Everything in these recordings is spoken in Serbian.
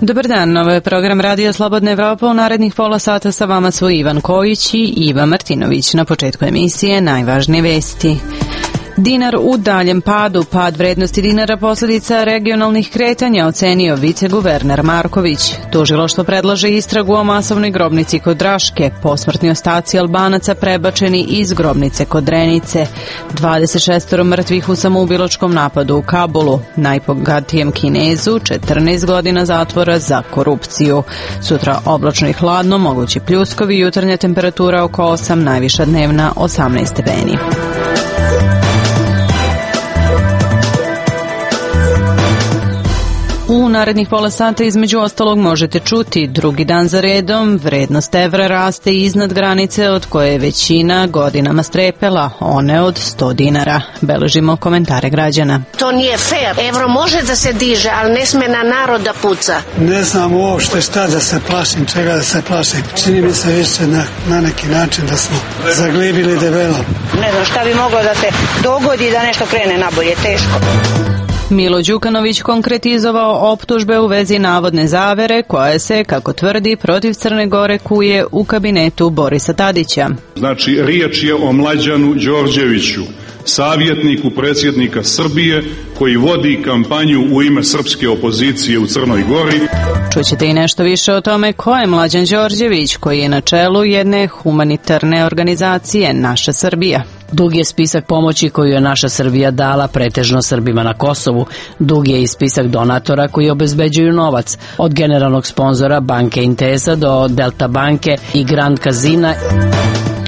Dobar dan, ovo je program Radio Slobodna Evropa. U narednih pola sata sa vama su Ivan Kojić i Iva Martinović. Na početku emisije najvažnije vesti. Dinar u daljem padu. Pad vrednosti dinara posljedica regionalnih kretanja, ocenio viceguverner Marković. Tužilaštvo predlaže istragu o masovnoj grobnici kod Raške. Posmrtni ostaci Albanaca prebačeni iz grobnice kod Drenice. 26 mrtvih u samoubilačkom napadu u Kabulu. Najbogatijem Kinezu 14 godina zatvora za korupciju. Sutra oblačno i hladno, mogući pljuskovi, jutarnja temperatura oko 8, najviša dnevna 18 stepeni. U narednih pola sata između ostalog možete čuti: drugi dan za redom vrednost evra raste iznad granice od koje je većina godinama strepela, one od 100 dinara. Beležimo komentare građana. To nije fair. Evro može da se diže, ali ne sme na narod da puca. Ne znam uopšte šta da se plašim, čega da se plašim. Čini mi se više na neki način da smo zaglibili debelo. Ne znam šta bi moglo da se dogodi da nešto krene nabolje, teško. Milo Đukanović konkretizovao optužbe u vezi navodne zavere koja se, kako tvrdi, protiv Crne Gore kuje u kabinetu Borisa Tadića. Znači, riječ je o Mlađanu Đorđeviću, savjetniku predsjednika Srbije koji vodi kampanju u ime srpske opozicije u Crnoj Gori. Čućete i nešto više o tome ko je Mlađan Đorđević, koji je na čelu jedne humanitarne organizacije Naša Srbija. Dug je spisak pomoći koju je Naša Srbija dala pretežno Srbima na Kosovu. Dug je i spisak donatora koji obezbeđuju novac, od generalnog sponzora banke Intesa do Delta banke i Grand Casina.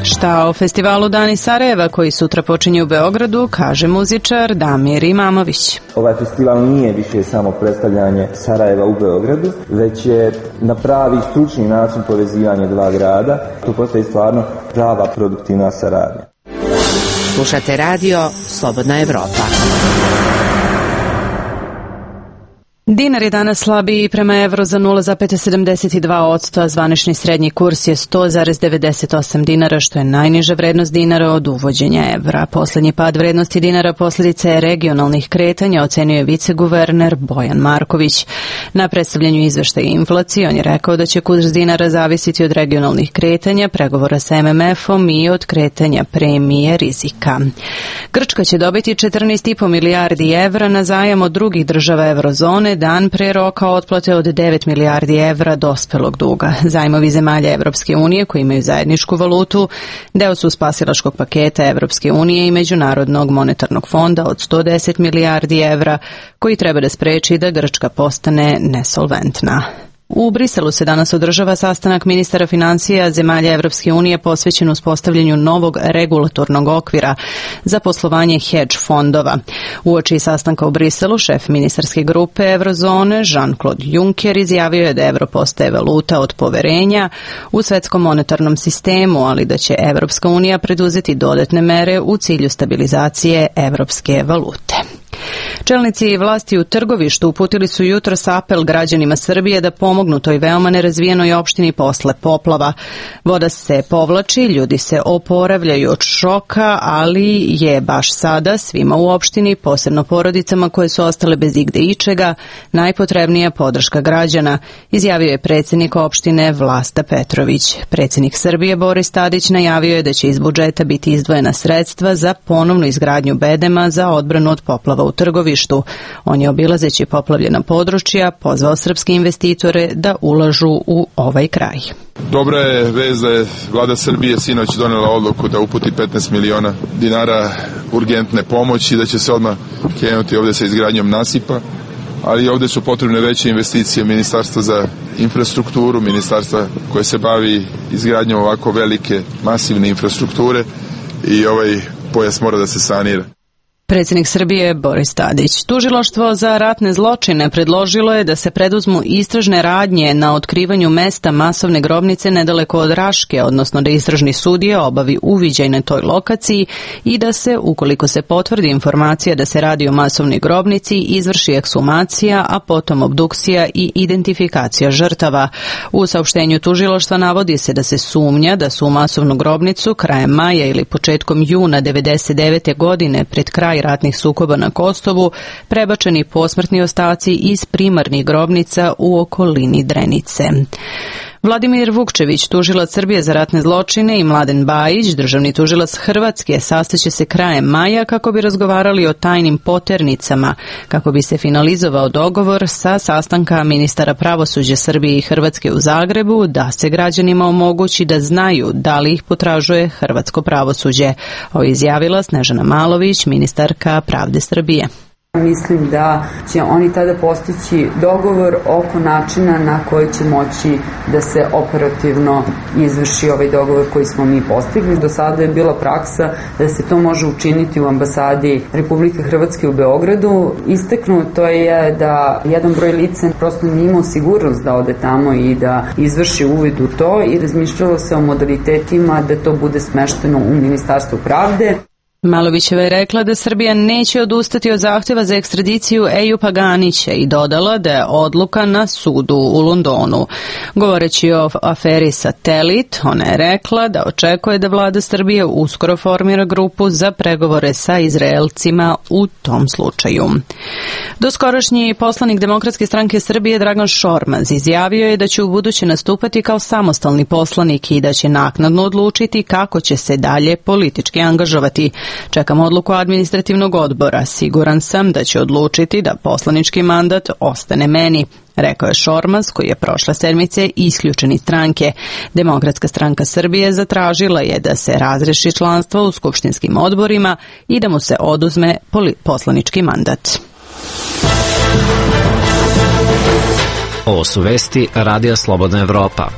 Šta o festivalu Dani Sarajeva koji sutra počinje u Beogradu, kaže muzičar Damir Imamović. Ovaj festival nije više samo predstavljanje Sarajeva u Beogradu, već je na pravi stručni način povezivanje dva grada. To postaje stvarno prava produktivna saradnja. Slušate radio Slobodna Evropa. Dinar je danas slabiji prema evru za 0,72%, a zvanični srednji kurs je 100,98 dinara, što je najniža vrednost dinara od uvođenja evra. Poslednji pad vrednosti dinara posljedica je regionalnih kretanja, ocenio je viceguverner Bojan Marković. Na predstavljanju izveštaja inflacije on je rekao da će kurs dinara zavisiti od regionalnih kretanja, pregovora sa MMF-om i od kretanja premije rizika. Grčka će dobiti 14,5 milijardi evra na zajam od drugih država eurozone, dan pre roka otplate od 9 milijardi evra dospelog duga. Zajmovi zemalja Evropske unije koji imaju zajedničku valutu deo su spasilačkog paketa Evropske unije i Međunarodnog monetarnog fonda od 110 milijardi evra koji treba da spreči da Grčka postane nesolventna. U Briselu se danas održava sastanak ministara finansija zemalja Evropske unije posvećen uspostavljanju novog regulatornog okvira za poslovanje hedge fondova. Uoči sastanka u Briselu šef ministarske grupe Eurozone Jean-Claude Juncker izjavio je da evro postaje valuta od poverenja u svetskom monetarnom sistemu, ali da će Evropska unija preduzeti dodatne mere u cilju stabilizacije evropske valute. Čelnici vlasti u Trgovištu uputili su jutros apel građanima Srbije da pomognu toj veoma nerazvijenoj opštini posle poplava. Voda se povlači, ljudi se oporavljaju od šoka, ali je baš sada svima u opštini, posebno porodicama koje su ostale bez igde ičega, najpotrebnija podrška građana, izjavio je predsjednik opštine Vlasta Petrović. Predsjednik Srbije Boris Tadić najavio je da će iz budžeta biti izdvojena sredstva za ponovnu izgradnju bedema za odbranu od poplava u Trgovištu. On je obilazeći poplavljena područja pozvao srpske investitore da ulažu u ovaj kraj. Dobra je vez da je vlada Srbije sinoć donela odluku da uputi 15 miliona dinara urgentne pomoći, da će se odmah krenuti ovde sa izgradnjom nasipa, ali ovde su potrebne veće investicije Ministarstva za infrastrukturu, ministarstva koje se bavi izgradnjom ovako velike, masivne infrastrukture i ovaj pojas mora da se sanira. Predsjednik Srbije Boris Tadić. Tužilaštvo za ratne zločine predložilo je da se preduzmu istražne radnje na otkrivanju mesta masovne grobnice nedaleko od Raške, odnosno da istražni sudija obavi uviđaj na toj lokaciji i da se, ukoliko se potvrdi informacija da se radi o masovnoj grobnici, izvrši ekshumacija, a potom obdukcija i identifikacija žrtava. U saopštenju tužilaštva navodi se da se sumnja da su u masovnu grobnicu krajem maja ili početkom juna 1999. godine pred kraj kraj ratnih sukoba na Kosovu prebačeni posmrtni ostaci iz primarnih grobnica u okolini Drenice. Vladimir Vukčević, tužilac Srbije za ratne zločine, i Mladen Bajić, državni tužilac Hrvatske, sastaće se krajem maja kako bi razgovarali o tajnim poternicama, kako bi se finalizovao dogovor sa sastanka ministara pravosuđa Srbije i Hrvatske u Zagrebu da se građanima omogući da znaju da li ih potražuje hrvatsko pravosuđe. Ovo je izjavila Snežana Malović, ministarka pravde Srbije. Mislim da će oni tada postići dogovor oko načina na koji će moći da se operativno izvrši ovaj dogovor koji smo mi postigli. Do sada je bila praksa da se to može učiniti u ambasadi Republike Hrvatske u Beogradu. Istaknuto je da jedan broj lica prosto nije imao sigurnost da ode tamo i da izvrši uvid u to i razmišljalo se o modalitetima da to bude smešteno u Ministarstvu pravde. Malovićeva je rekla da Srbija neće odustati od zahtjeva za ekstradiciju Ejupa Ganića i dodala da je odluka na sudu u Londonu. Govoreći o aferi Satelit, ona je rekla da očekuje da vlada Srbije uskoro formira grupu za pregovore sa Izraelcima u tom slučaju. Doskorašnji poslanik Demokratske stranke Srbije Dragan Šormaz izjavio je da će ubuduće nastupati kao samostalni poslanik i da će naknadno odlučiti kako će se dalje politički angažovati. Čekam odluku administrativnog odbora. Siguran sam da će odlučiti da poslanički mandat ostane meni, rekao je Šormaz, koji je prošle sedmice isključen iz stranke. Demokratska stranka Srbije zatražila je da se razreši članstvo u skupštinskim odborima i da mu se oduzme poslanički mandat. Ovo su vesti Radija Slobodna Evropa.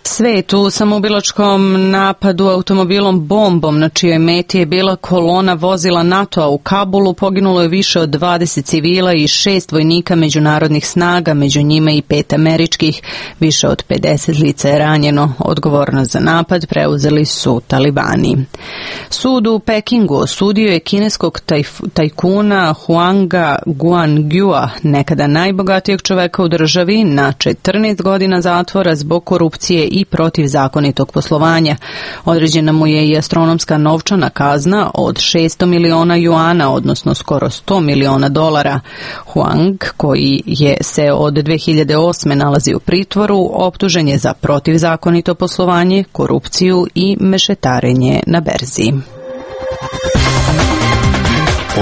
Svet u samoubilačkom napadu automobilom bombom na čijoj meti je bila kolona vozila NATO-a u Kabulu poginulo je više od 20 civila i 6 vojnika međunarodnih snaga, među njima i 5 američkih. Više od 50 lica je ranjeno. Odgovornost za napad preuzeli su talibani. Sud u Pekingu osudio je kineskog tajkuna Huanga Guangyua, nekada najbogatijeg čoveka u državi, na 14 godina zatvora zbog korupcije i protivzakonitog poslovanja. Određena mu je i astronomska novčana kazna od 600 miliona juana, odnosno skoro 100 miliona dolara. Huang, koji se od 2008. nalazi u pritvoru, optužen je za protivzakonito poslovanje, korupciju i mešetarenje na berzi.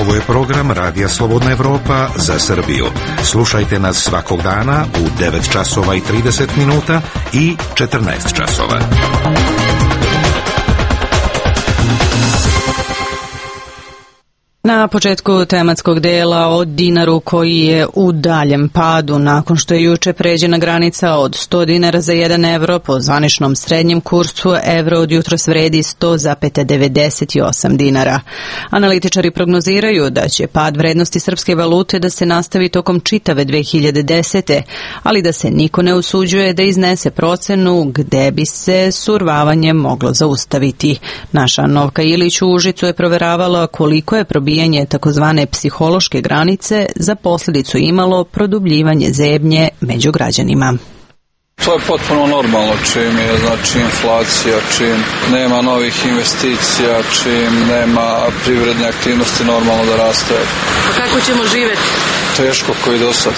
Ovo je program Radija Slobodna Evropa za Srbiju. Slušajte nas svakog dana u 9 časova i 30 minuta i 14 časova. Na početku tematskog dela o dinaru koji je u daljem padu nakon što je juče pređena granica od 100 dinara za 1 evro. Po zvaničnom srednjem kursu evro od jutros vredi 100,98 dinara. Analitičari prognoziraju da će pad vrednosti srpske valute da se nastavi tokom čitave 2010. ali da se niko ne usuđuje da iznese procenu gde bi se survavanje moglo zaustaviti. Naša Novka Ilić u Užicu je proveravala koliko je probijanje takozvane psihološke granice za posljedicu imalo produbljivanje zebnje među građanima. To je potpuno normalno čim je, znači, inflacija, čim nema novih investicija, čim nema privredne aktivnosti, normalno da raste. Pa kako ćemo živjeti? Teško koji do sad.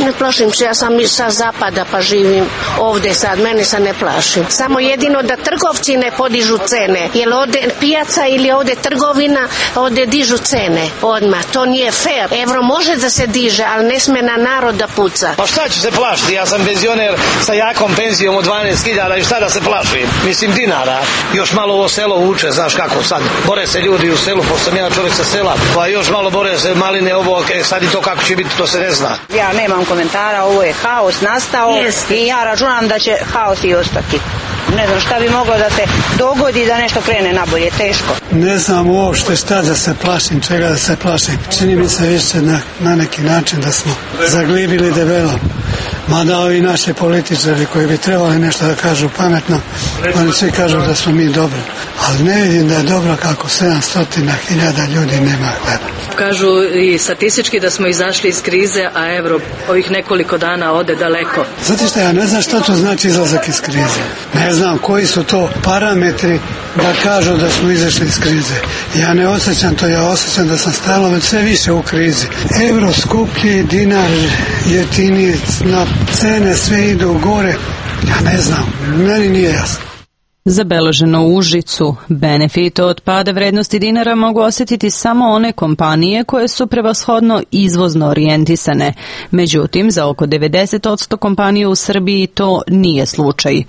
Ne plašim se, ja sam sa zapada pa živim ovdje sad, mene se ne plašim. Samo jedino da trgovci ne podižu cene, jer ovdje pijaca ili ovdje trgovina, ovdje dižu cene odmah, to nije fair. Evro može da se diže, ali ne sme na narod da puca. Pa šta ću se plašiti, ja sam penzioner sa jakom penzijom od 12.000 i šta da se plašim? Mislim dinara, još malo ovo selo vuče, znaš kako sad, bore se ljudi u selu, pošto sam ja čovjek sa sela, pa još malo bore se maline ovo, sad i to kako će biti, to se ne zna. Ja nemam komentara, ovo je haos nastao i ja računam da će haos i ostati. Ne znam šta bi moglo da se dogodi da nešto krene nabolje, teško. Ne znam uopšte šta da se plašim, čega da se plašim. Čini mi se više na neki način da smo zaglibili debelo. Mada ovi naši političari koji bi trebali nešto da kažu pametno, oni svi kažu da smo mi dobri. Ali ne vidim da je dobro kako 700.000 ljudi nema hleba. Kažu i statistički da smo izašli iz krize, a euro ovih nekoliko dana ode daleko. Znate šta, ja ne znam što to znači izlazak iz krize. Ne znam koji su to parametri da kažu da smo izašli iz krize. Ja ne osjećam to, ja osjećam da sam stalno već sve više u krizi. Euro skuplji, dinar jeftiniji, na cene sve idu gore. Ja ne znam, meni nije jasno. Zabeleženo u Užicu. Benefit od pada vrednosti dinara mogu osjetiti samo one kompanije koje su prevashodno izvozno orijentisane. Međutim, za oko 90% kompanija u Srbiji to nije slučaj.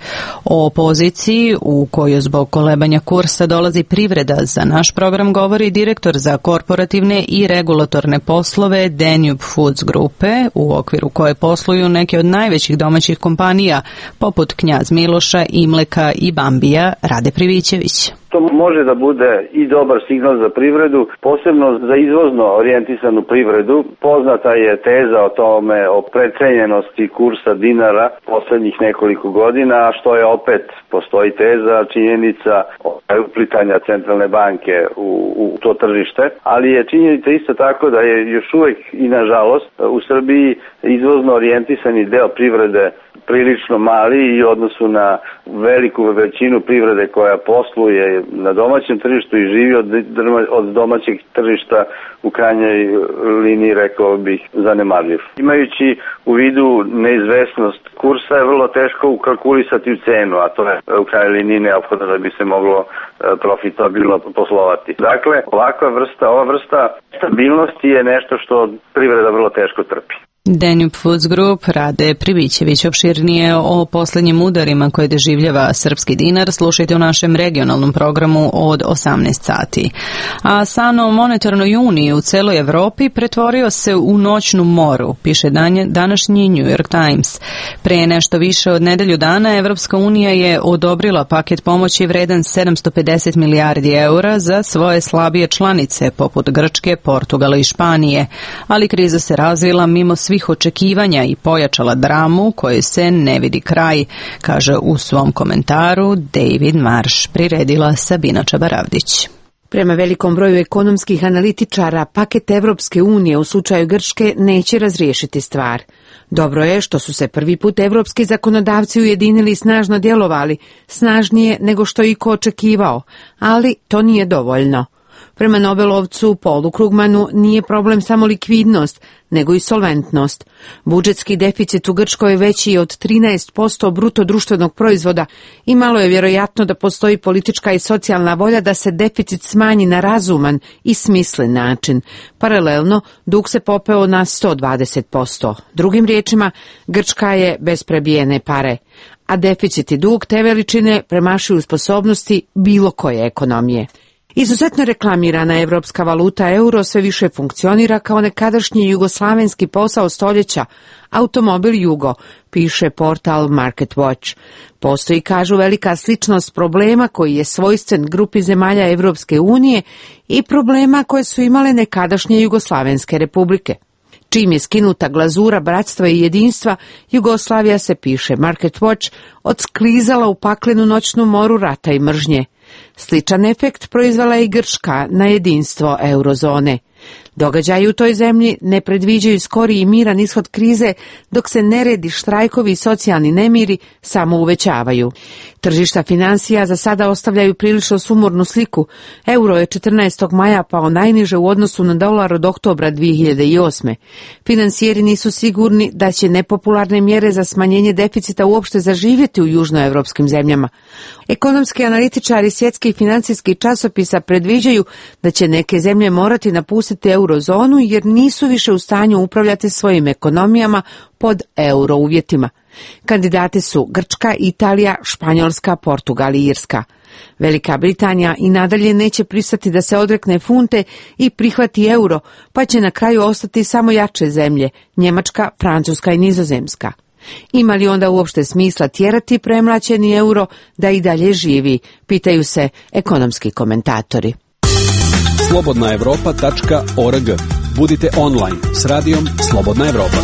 O poziciji u kojoj zbog kolebanja kursa dolazi privreda za naš program govori direktor za korporativne i regulatorne poslove Danube Foods grupe, u okviru koje posluju neke od najvećih domaćih kompanija, poput Knjaz Miloša, Imleka i Bambi. Rade Privićević. To može da bude i dobar signal za privredu, posebno za izvozno orijentisanu privredu. Poznata je teza o tome, o precenjenosti kursa dinara poslednjih nekoliko godina, što je opet, postoji teza, činjenica uplitanja centralne banke u to tržište, ali je činjenica isto tako da je još uvek i nažalost u Srbiji izvozno orijentisani deo privrede prilično mali i u odnosu na veliku većinu privrede koja posluje na domaćem tržištu i živi od domaćeg tržišta u krajnjoj liniji, rekao bih, zanemarljiv. Imajući u vidu neizvesnost kursa je vrlo teško ukalkulisati u cenu, a to je u krajnjoj liniji neophodno da bi se moglo profitabilno poslovati. Dakle, ova vrsta stabilnosti je nešto što privreda vrlo teško trpi. Danube Foods Group, Rade Privićević. Opširnije o poslednjim udarima koje doživljava srpski dinar slušajte u našem regionalnom programu od 18 sati. A san o monetarnoj uniji u celoj Evropi pretvorio se u noćnu moru, piše današnji New York Times. Pre nešto više od nedelju dana Evropska unija je odobrila paket pomoći vredan 750 milijardi eura za svoje slabije članice poput Grčke, Portugala i Španije, ali kriza se razvila mimo svih očekivanja i pojačala dramu koje se ne vidi kraj, kaže u svom komentaru David Marsh, priredila Sabina Čabaravdić. Prema velikom broju ekonomskih analitičara, paket Evropske unije u slučaju Grčke neće razriješiti stvar. Dobro je što su se prvi put evropski zakonodavci ujedinili i snažno djelovali, snažnije nego što je iko očekivao, ali to nije dovoljno. Prema Nobelovcu Paulu Krugmanu nije problem samo likvidnost, nego i solventnost. Budžetski deficit u Grčkoj je veći od 13% bruto društvenog proizvoda i malo je vjerojatno da postoji politička i socijalna volja da se deficit smanji na razuman i smislen način. Paralelno, dug se popeo na 120%. Drugim riječima, Grčka je bez prebijene pare, a deficit i dug te veličine premašuju sposobnosti bilo koje ekonomije. Izuzetno reklamirana evropska valuta euro sve više funkcionira kao nekadašnji jugoslavenski posao stoljeća, automobil Jugo, piše portal Market Watch. Postoji, kažu, velika sličnost problema koji je svojstven grupi zemalja Evropske unije i problema koje su imale nekadašnje jugoslavenske republike. Čim je skinuta glazura bratstva i jedinstva, Jugoslavija se, piše Market Watch, odsklizala u paklenu noćnu moru rata i mržnje. Sličan efekt proizvala je i Grčka na jedinstvo eurozone. Događaji u toj zemlji ne predviđaju skori i miran ishod krize, dok se neredi, štrajkovi i socijalni nemiri samo uvećavaju. Tržišta finansija za sada ostavljaju prilično sumornu sliku. Euro je 14. maja pao najniže u odnosu na dolar od oktobra 2008. Finansijeri nisu sigurni da će nepopularne mjere za smanjenje deficita uopšte zaživjeti u južnoevropskim zemljama. Ekonomski analitičari svjetskih financijskih časopisa predviđaju da će neke zemlje morati napustiti eurozonu jer nisu više u stanju upravljati svojim ekonomijama pod euro uvjetima. Kandidati su Grčka, Italija, Španjolska, Portugal i Irska. Velika Britanija i nadalje neće pristati da se odrekne funte i prihvati euro, pa će na kraju ostati samo jače zemlje, Njemačka, Francuska i Nizozemska. Ima li onda uopšte smisla tjerati premlaćeni euro da i dalje živi, pitaju se ekonomski komentatori. slobodnaevropa.org. Budite online s radijom Slobodna Evropa.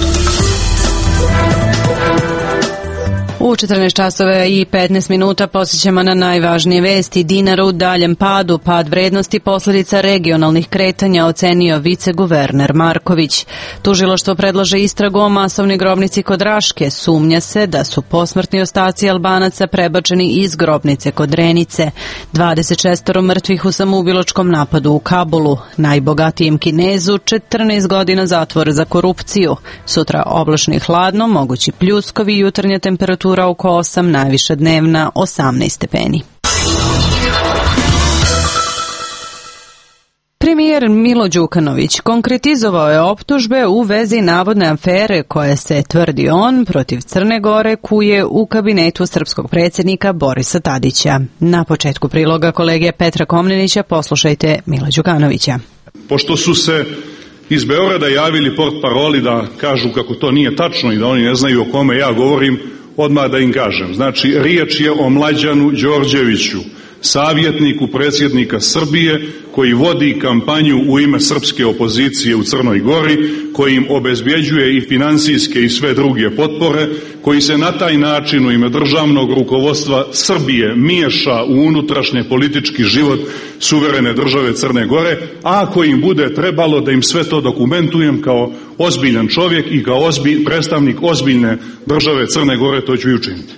U 14 časova i 15 minuta posjećamo na najvažnije vesti. Dinar u daljem padu, pad vrednosti posljedica regionalnih kretanja, ocenio viceguverner Marković. Tužilaštvo predlaže istragu o masovnoj grobnici kod Raške. Sumnja se da su posmrtni ostaci Albanaca prebačeni iz grobnice kod Renice. 26 mrtvih u samoubilačkom napadu u Kabulu. Najbogatijem Kinezu 14 godina zatvora za korupciju. Sutra oblačno i hladno, mogući pljuskovi, jutarnja temperatura oko 8, najviša dnevna 18 stepeni. Premijer Milo Đukanović konkretizovao je optužbe u vezi navodne afere koje se, tvrdi on, protiv Crne Gore kuje u kabinetu srpskog predsjednika Borisa Tadića. Na početku priloga kolege Petra Komnenića poslušajte Mila Đukanovića. Pošto su se iz Beograda javili portparoli da kažu kako to nije tačno i da oni ne znaju o kome ja govorim, odmah da im kažem. Znači, riječ je o Mlađanu Đorđeviću, savjetniku predsjednika Srbije koji vodi kampanju u ime srpske opozicije u Crnoj Gori, koji im obezbjeđuje i financijske i sve druge potpore, koji se na taj način u ime državnog rukovodstva Srbije miješa u unutrašnje politički život suverene države Crne Gore, a ako im bude trebalo da im sve to dokumentujem kao ozbiljan čovjek i kao predstavnik ozbiljne države Crne Gore, to ću i učiniti.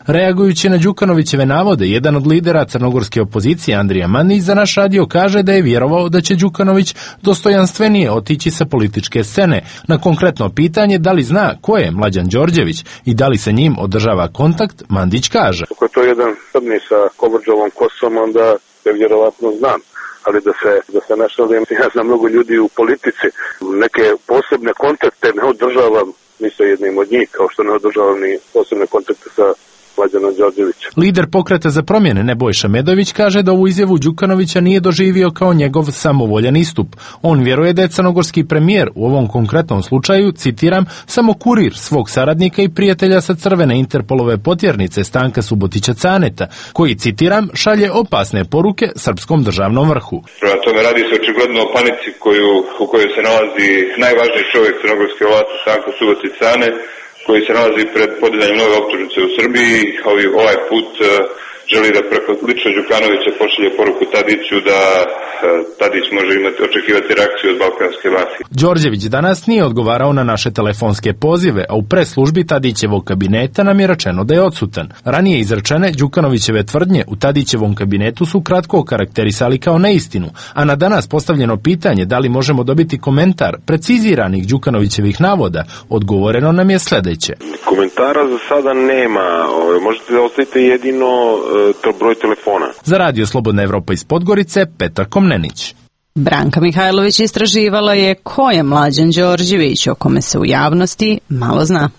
Reagujući na Đukanovićeve navode, jedan od lidera crnogorske opozicije, Andrija Mandić, za naš radio kaže da je vjerovao da će Đukanović dostojanstvenije otići sa političke scene. Na konkretno pitanje da li zna ko je Mlađan Đorđević i da li sa njim održava kontakt, Mandić kaže: Ako je to jedan Srbni sa Kovrđovom kosom, onda je vjerovatno znam. Ali da se nešto, ja znam mnogo ljudi u politici, neke posebne kontakte ne održavam ni sa jednim od njih, kao što ne održavam ni posebne kontakte sa Mlađanom Đorđevićem. Lider Pokreta za promjene Nebojša Medović kaže da ovu izjavu Đukanovića nije doživio kao njegov samovoljan istup. On vjeruje da je crnogorski premijer u ovom konkretnom slučaju, citiram, samo kurir svog saradnika i prijatelja sa crvene Interpolove potjernice Stanka Subotića Caneta, koji, citiram, šalje opasne poruke srpskom državnom vrhu. Prema tome radi se očigledno o panici u kojoj se nalazi najvažniji čovjek crnogorske vlasti Stanko Subotić Cane, koji se nalazi pred podizanjem nove optužnice u Srbiji. Ovaj put želi da preko lično Đukanovića pošalje poruku Tadiću da Tadić može očekivati reakciju od balkanske mafije. Đorđević danas nije odgovarao na naše telefonske pozive, a u pres službi Tadićevog kabineta nam je rečeno da je odsutan. Ranije izrečene Đukanovićeve tvrdnje u Tadićevom kabinetu su kratko okarakterisali kao neistinu, a na danas postavljeno pitanje da li možemo dobiti komentar preciziranih Đukanovićevih navoda, odgovoreno nam je sljedeće. Komentara za sada nema, možete da ostavite jedino broj telefona. Za radio Slobodna Evropa iz Podgorice, Petar Komnenić. Branka Mihajlović istraživala je ko je Mlađan Đorđević, o kome se u javnosti malo zna.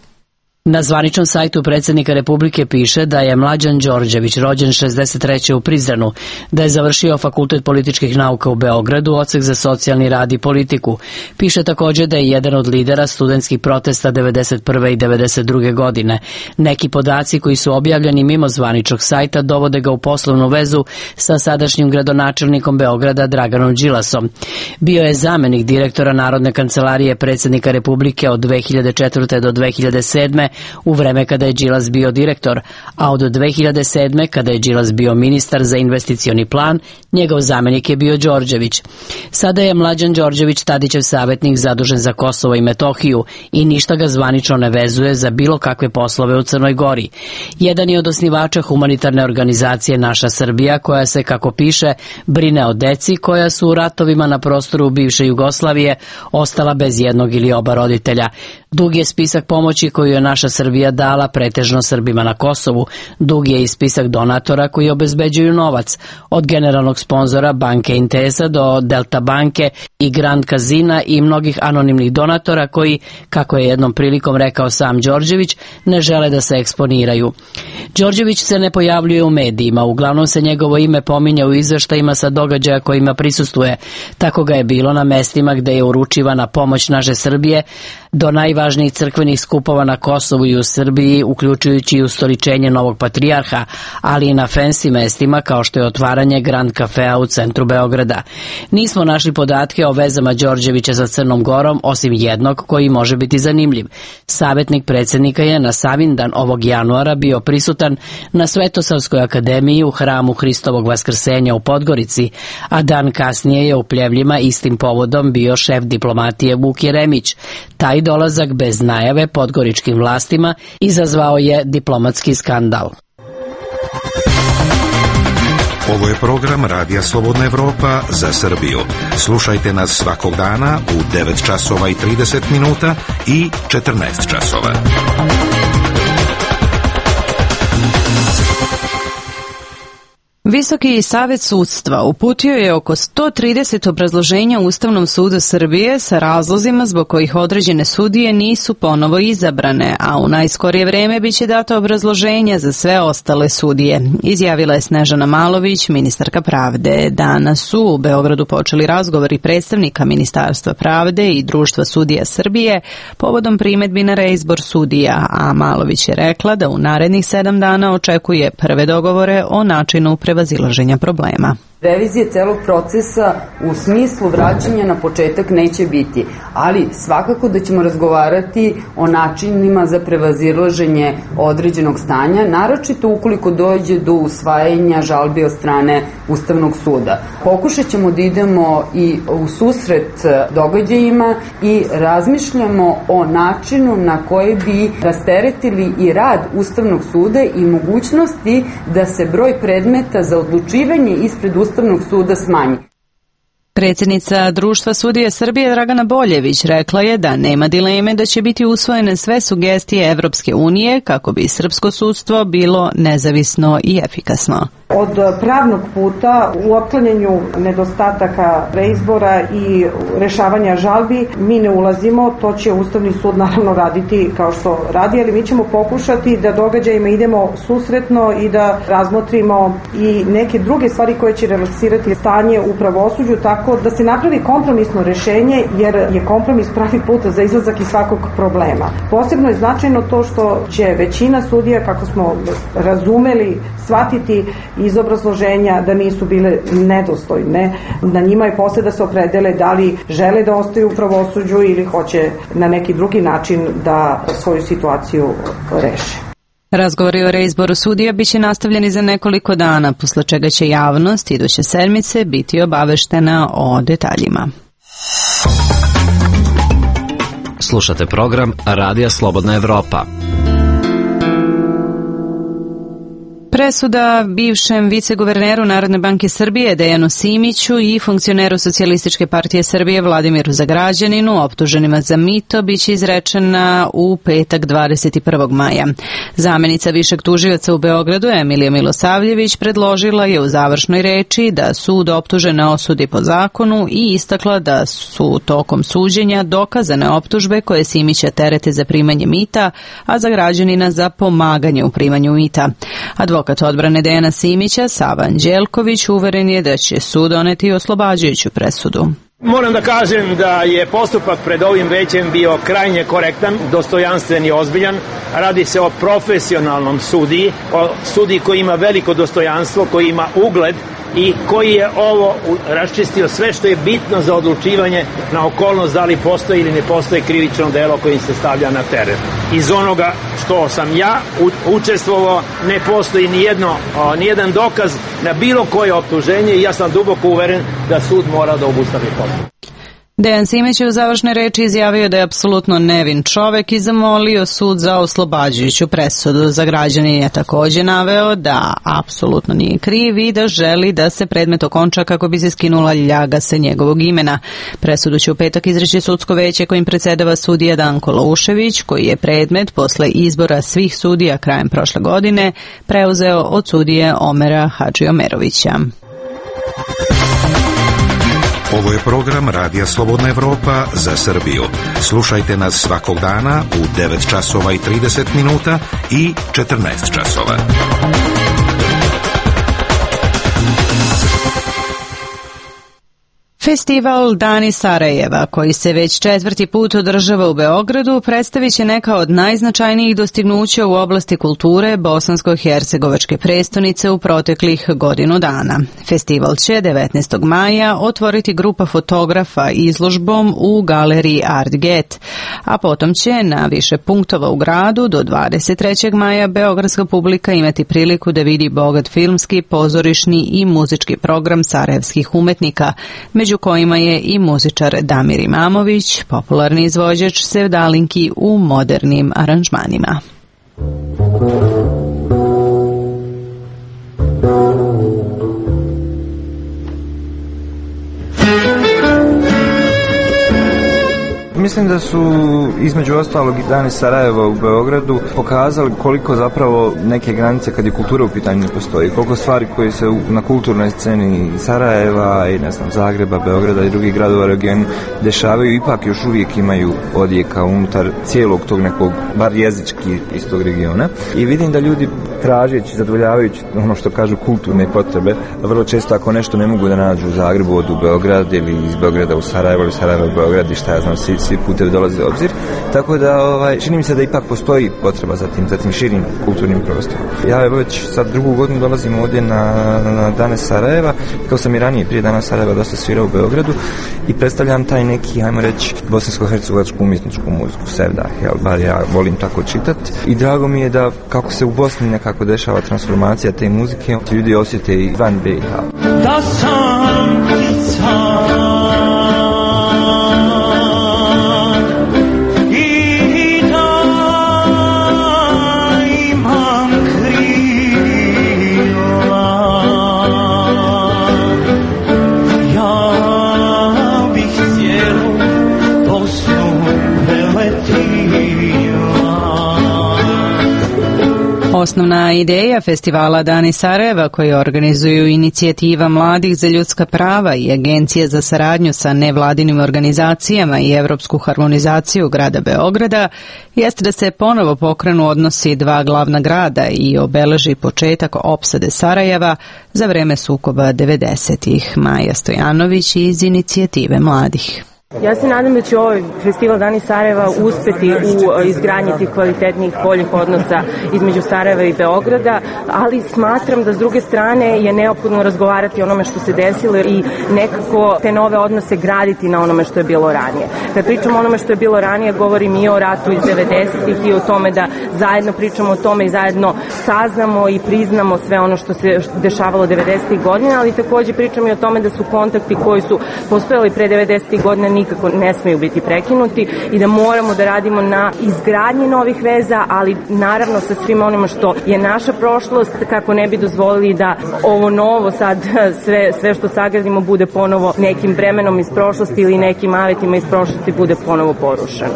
Na zvaničnom sajtu predsjednika Republike piše da je Mlađan Đorđević rođen 63. u Prizrenu, da je završio Fakultet političkih nauka u Beogradu, odsek za socijalni rad i politiku. Piše također da je jedan od lidera studentskih protesta 91. i 92. godine. Neki podaci koji su objavljeni mimo zvaničnog sajta dovode ga u poslovnu vezu sa sadašnjim gradonačelnikom Beograda Draganom Đilasom. Bio je zamjenik direktora Narodne kancelarije predsjednika Republike od 2004. do 2007. u vreme kada je Đilas bio direktor, a od 2007. kada je Đilas bio ministar za investicioni plan, njegov zamjenik je bio Đorđević. Sada je Mlađan Đorđević Tadićev savjetnik zadužen za Kosovo i Metohiju i ništa ga zvanično ne vezuje za bilo kakve poslove u Crnoj Gori. Jedan je od osnivača humanitarne organizacije Naša Srbija, koja se, kako piše, brine o deci koja su u ratovima na prostoru bivše Jugoslavije ostala bez jednog ili oba roditelja. Dug je spisak pomoći koju je Naša Srbija dala pretežno Srbima na Kosovu. Dug je i spisak donatora koji obezbeđuju novac, od generalnog sponzora banke Intesa do Delta banke i Grand Casina i mnogih anonimnih donatora koji, kako je jednom prilikom rekao sam Đorđević, ne žele da se eksponiraju. Đorđević se ne pojavljuje u medijima, uglavnom se njegovo ime pominje u izveštajima sa događaja kojima prisustvuje. Tako ga je bilo na mestima gde je uručivana pomoć Naše Srbije do najvažnijih najvažnijih crkvenih skupova na Kosovu i u Srbiji, uključujući i ustoličenje novog patrijarha, ali i na fancy mestima kao što je otvaranje Grand Cafea u centru Beograda. Nismo našli podatke o vezama Đorđevića sa Crnom Gorom, osim jednog koji može biti zanimljiv. Savjetnik predsjednika je na Savindan ovog januara bio prisutan na Svetosavskoj akademiji u hramu Hristovog Vaskrsenja u Podgorici, a dan kasnije je u Pljevljima istim povodom bio šef diplomatije Vuk Jeremić. Taj dolazak bez najave podgoričkim vlastima izazvao je diplomatski skandal. Ovo je program Radija Slobodna Evropa za Srbiju. Slušajte nas svakog dana u 9 časova i 30 minuta i 14 časova. Visoki savet sudstva uputio je oko 130 obrazloženja Ustavnom sudu Srbije sa razlozima zbog kojih određene sudije nisu ponovo izabrane, a u najskorije vreme biće dato obrazloženja za sve ostale sudije, izjavila je Snežana Malović, ministarka pravde. Danas su u Beogradu počeli razgovori predstavnika Ministarstva pravde i Društva sudija Srbije povodom primedbi na reizbor sudija, a Malović je rekla da u narednih 7 dana očekuje prve dogovore o načinu prevazilaženja problema. Revizije celog procesa u smislu vraćanja na početak neće biti, ali svakako da ćemo razgovarati o načinima za prevazilaženje određenog stanja, naročito ukoliko dođe do usvajanja žalbi od strane Ustavnog suda. Pokušat ćemo da idemo i u susret događajima i razmišljamo o načinu na koji bi rasteretili i rad Ustavnog suda i mogućnosti da se broj predmeta za odlučivanje ispred Ustavnog suda smanji. Predsjednica Društva sudija Srbije Dragana Boljević rekla je da nema dileme da će biti usvojene sve sugestije Evropske unije kako bi srpsko sudstvo bilo nezavisno i efikasno. Od pravnog puta u otklanjanju nedostataka reizbora i rešavanja žalbi mi ne ulazimo, to će Ustavni sud naravno raditi kao što radi, ali mi ćemo pokušati da događajima idemo susretno i da razmotrimo i neke druge stvari koje će relaksirati stanje u pravosuđu, tako da se napravi kompromisno rešenje, jer je kompromis pravi put za izlazak iz svakog problema. Posebno je značajno to što će većina sudija, kako smo razumeli, shvatiti iz obrazloženja da nisu bile nedostojne. Na njima je posle da se opredele da li žele da ostaju u pravosuđu ili hoće na neki drugi način da svoju situaciju reše. Razgovori o reizboru sudija biće nastavljeni za nekoliko dana, posle čega će javnost iduće sedmice biti obaveštena o detaljima. Slušate program Radija Slobodna Evropa. Presuda bivšem viceguverneru Narodne banke Srbije Dejanu Simiću i funkcioneru Socijalističke partije Srbije Vladimiru Zagrađaninu, optuženima za mito, biće izrečena u petak 21. maja. Zamenica višeg tužioca u Beogradu Emilija Milosavljević predložila je u završnoj reči da sud optužene osudi po zakonu i istakla da su tokom suđenja dokazane optužbe koje Simića terete za primanje mita, a Zagrađanina za pomaganje u primanju mita. Advokat odbrane Dejana Simića, Sava Anđelković, uveren je da će sud doneti oslobađajuću presudu. Moram da kažem da je postupak pred ovim većem bio krajnje korektan, dostojanstven i ozbiljan. Radi se o profesionalnom sudiji, o sudiji koji ima veliko dostojanstvo, koji ima ugled i koji je ovo raščistio sve što je bitno za odlučivanje na okolnost da li postoji ili ne postoji krivično delo kojim se stavlja na teren. Iz onoga što sam ja učestvovao ne postoji nijedan dokaz na bilo koje optuženje i ja sam duboko uveren da sud mora da obustavi postupak. Dejan Simić je u završnoj reči izjavio da je apsolutno nevin čovek i zamolio sud za oslobađajuću presudu. Zagrađanin je također naveo da apsolutno nije kriv i da želi da se predmet okonča kako bi se skinula ljaga sa njegovog imena. Presudu će u petak izreći sudsko veće kojim predsjedava sudija Danko Laušević, koji je predmet posle izbora svih sudija krajem prošle godine preuzeo od sudije Omera Hadžiomerovića. Ovo je program Radija Slobodna Evropa za Srbiju. Slušajte nas svakog dana u 9 časova i 30 minuta i 14 časova. Festival Dani Sarajeva, koji se već 4. put održava u Beogradu, predstavit će neka od najznačajnijih dostignuća u oblasti kulture bosansko-hercegovačke prestonice u proteklih godinu dana. Festival će 19. maja otvoriti grupa fotografa izložbom u galeriji Art Get, a potom će na više punktova u gradu do 23. maja beogradska publika imati priliku da vidi bogat filmski, pozorišni i muzički program sarajevskih umetnika, među kojima je i muzičar Damir Imamović, popularni izvođač sevdalinki u modernim aranžmanima. Mislim da su između ostalog i Dani Sarajeva u Beogradu pokazali koliko zapravo neke granice kad je kultura u pitanju ne postoji, koliko stvari koje se na kulturnoj sceni Sarajeva i Zagreba, Beograda i drugih gradova u regionu dešavaju, ipak još uvijek imaju odjeka unutar cijelog tog nekog, bar jezički iz tog regiona. I vidim da ljudi tražeći, zadovoljavajući ono što kažu kulturne potrebe, vrlo često ako nešto ne mogu da nađu u Zagrebu, odu u Beograd ili iz Beograda u Sarajevo ili Sarajevo u Beograd i šta ja znam, svi putevi dolaze u obzir. Tako da čini mi se da ipak postoji potreba za tim širim kulturnim prostorom. Ja evo već sad drugu godinu dolazim ovdje na Dane Sarajeva, kao sam i ranije prije Dana Sarajeva dosta svirao u Beogradu i predstavljam taj neki, ajmo reći, bosansko-hercegovačku umjetničku muziku, sevdah, bar ja volim tako čitati. I drago mi je da kako se u Bosni nekako dešava transformacija te muzike, ljudi osjete i van BiH. Da sam Osnovna ideja festivala Dani Sarajeva, koju organizuju Inicijativa mladih za ljudska prava i Agencija za saradnju sa nevladinim organizacijama i evropsku harmonizaciju grada Beograda, jeste da se ponovo pokrenu odnosi dva glavna grada i obeleži početak opsade Sarajeva za vreme sukoba 90-ih. Maja Stojanović iz Inicijative mladih. Ja se nadam da će ovaj festival Dani Sarajeva uspeti u izgradnji tih kvalitetnih boljih odnosa između Sarajeva i Beograda, ali smatram da s druge strane je neophodno razgovarati o onome što se desilo i nekako te nove odnose graditi na onome što je bilo ranije. Kad pričamo o onome što je bilo ranije, govorim i o ratu iz 90-ih i o tome da zajedno pričamo o tome i zajedno saznamo i priznamo sve ono što se dešavalo 90-ih godina, ali također pričam i o tome da su kontakti koji su postojali pre 90-ih godina nikako ne smeju biti prekinuti i da moramo da radimo na izgradnji novih veza, ali naravno sa svima onima što je naša prošlost, kako ne bi dozvolili da ovo novo sad sve što sagradimo bude ponovo nekim bremenom iz prošlosti ili nekim avetima iz prošlosti bude ponovo porušeno.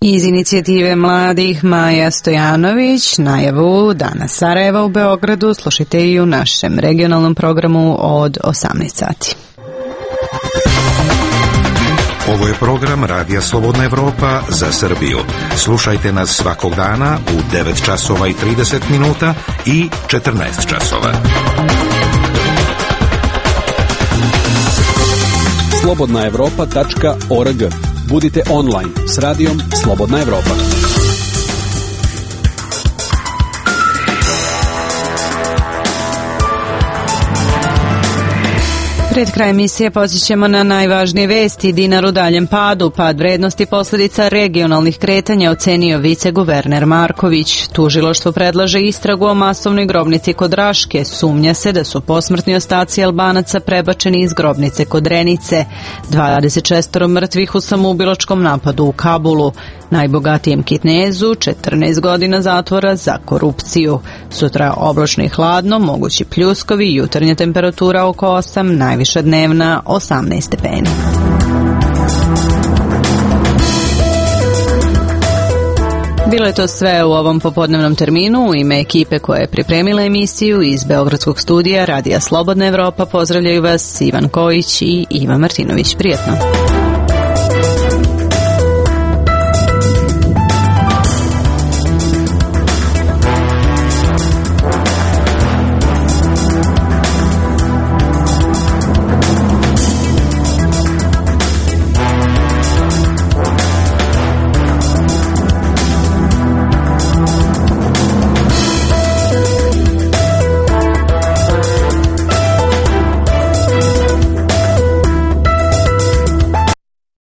Iz Inicijative mladih Maja Stojanović, najavu Dana Sarajeva u Beogradu slušajte i u našem regionalnom programu od 18 sati. Ovo je program Radija Slobodna Evropa za Srbiju. Slušajte nas svakog dana u 9 časova i 30 minuta i 14 časova. slobodnaevropa.org. Budite online s radijom Slobodna Evropa. Pred kraj emisije podsjećamo na najvažnije vesti. Dinar u daljem padu, pad vrednosti posljedica regionalnih kretanja ocenio viceguverner Marković. Tužilaštvo predlaže istragu o masovnoj grobnici kod Raške. Sumnja se da su posmrtni ostaci Albanaca prebačeni iz grobnice kod Renice. 26 mrtvih u samoubilačkom napadu u Kabulu. Najbogatijem Kitnezu 14 godina zatvora za korupciju. Sutra oblačno i hladno, mogući pljuskovi, jutarnja temperatura oko 8, najviša dnevna 18 stepeni. Bilo je to sve u ovom popodnevnom terminu. U ime ekipe koja je pripremila emisiju iz Beogradskog studija Radija Slobodna Evropa pozdravljaju vas Ivan Kojić i Iva Martinović. Prijetno.